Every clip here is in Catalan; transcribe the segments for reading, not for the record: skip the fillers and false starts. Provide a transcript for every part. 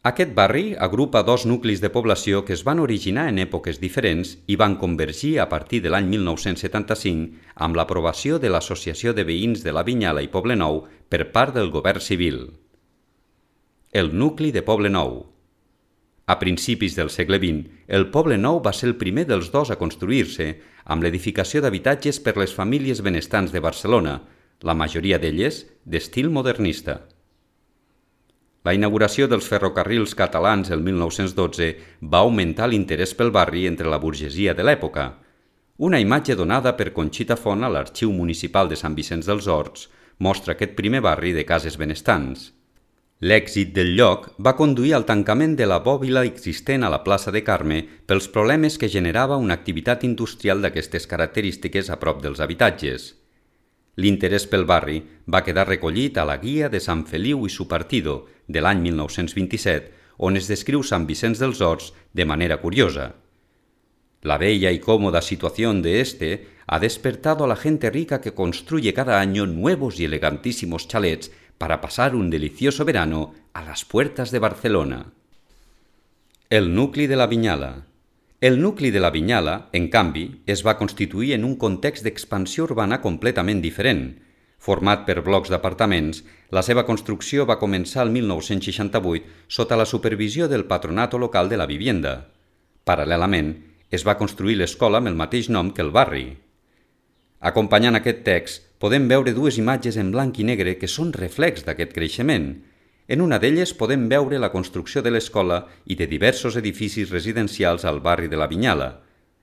Aquest barri agrupa dos nuclis de població que es van originar en èpoques diferents i van convergir a partir de l'any 1975 amb l'aprovació de l'Associació de Veïns de la Vinyala i Poblenou per part del govern civil. El nucli de Poblenou. A principis del segle XX, el Poblenou va ser el primer dels dos a construir-se, amb l'edificació d'habitatges per les famílies benestants de Barcelona, la majoria d'elles d'estil modernista. La inauguració dels ferrocarrils catalans el 1912 va augmentar l'interès pel barri entre la burgesia de l'època. Una imatge donada per Conxita Font a l'Arxiu Municipal de Sant Vicenç dels Horts mostra aquest primer barri de cases benestants. L'èxit del lloc va conduir al tancament de la bòbila existent a la plaça de Carme pels problemes que generava una activitat industrial d'aquestes característiques a prop dels habitatges. L'interès pel barri va quedar recollit a la Guia de Sant Feliu i su Partido de l'any 1927, on es descriu Sant Vicenç dels Horts de manera curiosa. La bella y cómoda situación de este ha despertado a la gente rica que construye cada año nuevos y elegantísimos chalets para pasar un delicioso verano a las puertas de Barcelona. El nucli de la Vinyala. El nucli de la Vinyala, en canvi, es va constituir en un context d'expansió urbana completament diferent. Format per blocs d'apartaments, la seva construcció va començar el 1968 sota la supervisió del Patronato Local de la Vivienda. Paral·lelament, es va construir l'escola amb el mateix nom que el barri. Acompanyant aquest text, podem veure dues imatges en blanc i negre que són reflex d'aquest creixement. En una d'elles podem veure la construcció de l'escola i de diversos edificis residencials al barri de la Vinyala,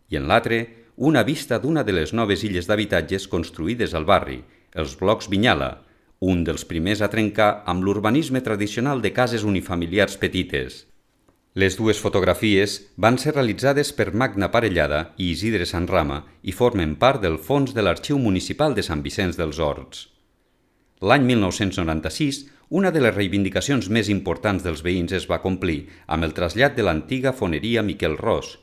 i en l'altre, una vista d'una de les noves illes d'habitatges construïdes al barri, els blocs Vinyala, un dels primers a trencar amb l'urbanisme tradicional de cases unifamiliars petites. Les dues fotografies van ser realitzades per Magna Parellada i Isidre Sanrama i formen part del fons de l'Arxiu Municipal de Sant Vicenç dels Horts. L'any 1996, una de les reivindicacions més importants dels veïns es va complir amb el trasllat de l'antiga foneria Miquel Ros.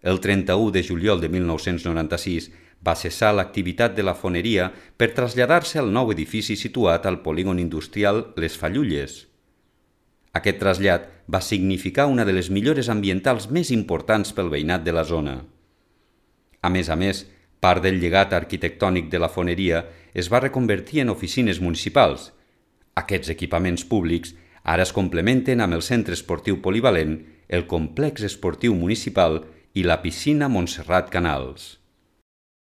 El 31 de juliol de 1996 va cessar l'activitat de la foneria per traslladar-se al nou edifici situat al polígon industrial Les Fallulles. Aquest trasllat va significar una de les millores ambientals més importants pel veïnat de la zona. A més, part del llegat arquitectònic de la foneria es va reconvertir en oficines municipals. Aquests equipaments públics ara es complementen amb el centre esportiu polivalent, el complex esportiu municipal i la piscina Montserrat Canals.